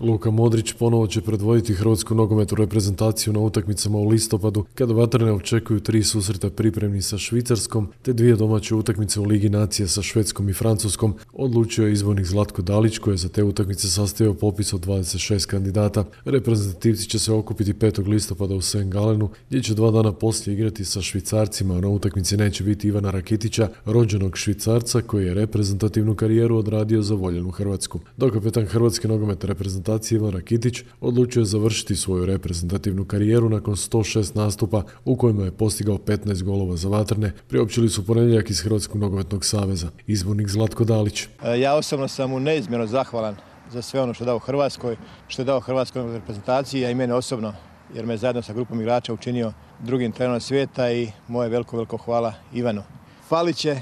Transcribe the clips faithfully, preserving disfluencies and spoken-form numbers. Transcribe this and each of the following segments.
Luka Modrić ponovo će predvoditi hrvatsku nogometnu reprezentaciju na utakmicama u listopadu, kada vatrene očekuju tri susreta pripremni sa Švicarskom, te dvije domaće utakmice u Ligi nacija sa Švedskom i Francuskom, odlučio je izbornik Zlatko Dalić, koji je za te utakmice sastavio popis od dvadeset šest kandidata. Reprezentativci će se okupiti petog listopada u Saint Gallenu, gdje će dva dana poslije igrati sa Švicarcima. Na utakmici neće biti Ivana Rakitića, rođenog Švicarca koji je reprezentativnu karijeru odradio za voljenu Hrvatsku. Dok kapetan hrvatske nogometne reprezentacije Ivan Rakitić odlučio je završiti svoju reprezentativnu karijeru nakon sto šest nastupa u kojima je postigao petnaest golova za vatrene, priopćili su ponedjeljak iz Hrvatskog nogometnog saveza. Izbornik Zlatko Dalić. Ja osobno sam mu neizmjerno zahvalan za sve ono što je dao Hrvatskoj, što je dao Hrvatskoj reprezentaciji, a i mene osobno, jer me zajedno sa grupom igrača učinio drugim trenerom svijeta i moje veliko, veliko hvala Ivanu. Falit će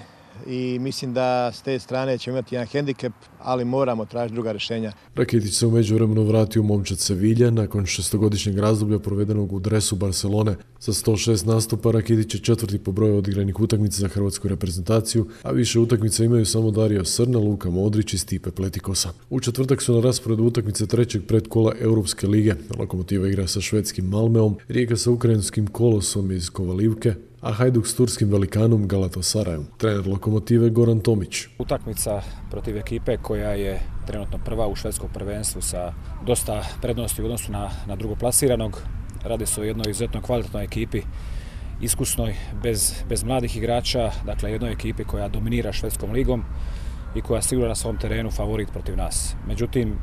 i mislim da s te strane ćemo imati jedan hendikep, ali moramo tražiti druga rješenja. Rakitić se u međuvremenu vratio u momčad Sevilje nakon šestogodišnjeg razdoblja provedenog u dresu Barcelone. Sa sto šest nastupa Rakitić je četvrti po broju odigranih utakmica za hrvatsku reprezentaciju, a više utakmica imaju samo Dario Srna, Luka Modrić i Stipe Pletikosa. U četvrtak su na rasporedu utakmice trećeg predkola Europske lige. Lokomotiva igra sa švedskim Malmeom, Rijeka sa ukrajinskim Kolosom iz Kovalivke, a Hajduk s turskim velikanom Galatasarayom. Trener Lokomotive Goran Tomić. Utakmica protiv ekipe koja je trenutno prva u švedskom prvenstvu sa dosta prednosti u odnosu na, na drugoplasiranog. Radi se o jednoj izuzetno kvalitetnoj ekipi, iskusnoj, bez, bez mladih igrača, dakle jednoj ekipi koja dominira švedskom ligom i koja sigurno na svom terenu favorit protiv nas. Međutim,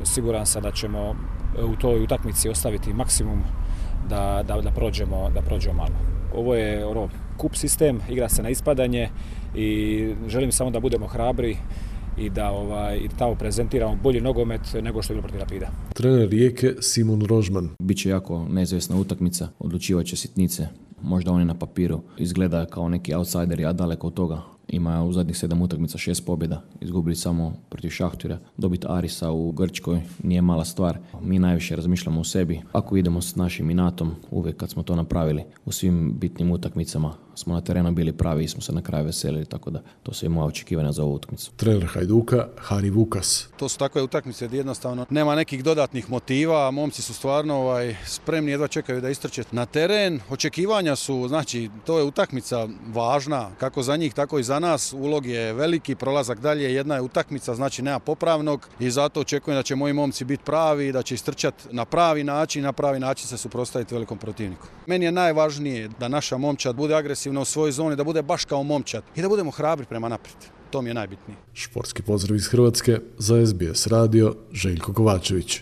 siguran sam da ćemo u toj utakmici ostaviti maksimum da, da, da prođemo, da prođemo malo. Ovo je ono, kup sistem, igra se na ispadanje i želim samo da budemo hrabri i da ovaj, i tamo prezentiramo bolji nogomet nego što je bilo protiv Rapida. Trener Rijeke Simon Rožman. Biće jako neizvjesna utakmica, odlučivaće sitnice. Možda oni na papiru izgleda kao neki outsideri, a daleko od toga. Ima u zadnjih sedam utakmica šest pobjeda, izgubili samo protiv Šahtira. Dobiti Arisa u Grčkoj nije mala stvar. Mi najviše razmišljamo o sebi. Ako idemo s našim inatom, uvijek kad smo to napravili, u svim bitnim utakmicama smo na terenu bili pravi i smo se na kraju veselili, tako da to su i moja očekivanja za ovu utakmicu. Trener Hajduka Hari Vukas. To su takve utakmice gdje jednostavno nema nekih dodatnih motiva, momci su stvarno ovaj, spremni, jedva čekaju da istrče na teren. Očekivanja su, znači, to je utakmica važna, kako za njih, tako i za nas. Ulog je veliki, prolazak dalje, jedna je utakmica, znači nema popravnog i zato očekujem da će moji momci biti pravi, da će istrčati na pravi način, na pravi način se suprotstaviti velikom protivniku. Meni je najvažnije da naša momčad bude agresivna u svojoj zoni, da bude baš kao momčad i da budemo hrabri prema naprijed. To mi je najbitnije. Športski pozdrav iz Hrvatske za S B S radio, Željko Kovačević.